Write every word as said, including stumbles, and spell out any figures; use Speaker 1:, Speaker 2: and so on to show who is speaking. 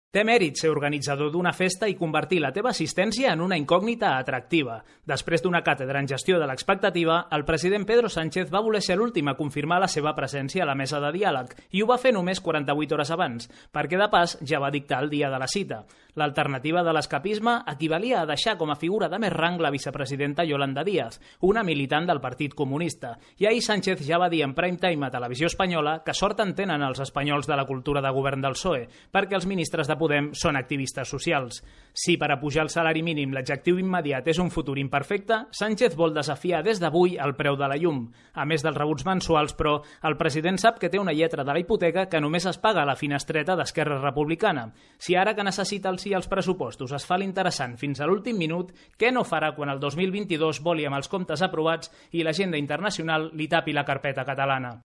Speaker 1: Té mèrit ser organitzador d'una festa i convertir la teva assistència en una incògnita atractiva. Després d'una càtedra en gestió de l'expectativa, el president Pedro Sánchez va voler ser l'últim a confirmar la seva presència a la mesa de diàleg i ho va fer només quaranta-vuit hores abans, perquè de pas ja va dictar el dia de la cita. L'alternativa de l'escapisme equivalia a deixar com a figura de més rang la vicepresidenta Yolanda Díaz, una militant del Partit Comunista. I ahir Sánchez ja va dir en prime time a Televisió Espanyola que sort en tenen els espanyols de la cultura de govern del P S O E, perquè els ministres de Podem són activistes socials. Si per a pujar el salari mínim l'adjectiu immediat és un futur imperfecte, Sánchez vol desafiar des d'avui el preu de la llum. A més dels rebuts mensuals, però, el president sap que té una lletra de la hipoteca que només es paga a la finestreta d'Esquerra Republicana. Si ara que necessita el sí als pressupostos es fa l'interessant fins a l'últim minut, què no farà quan el dos mil vint-i-dos voli amb els comptes aprovats i l'agenda internacional li tapi la carpeta catalana?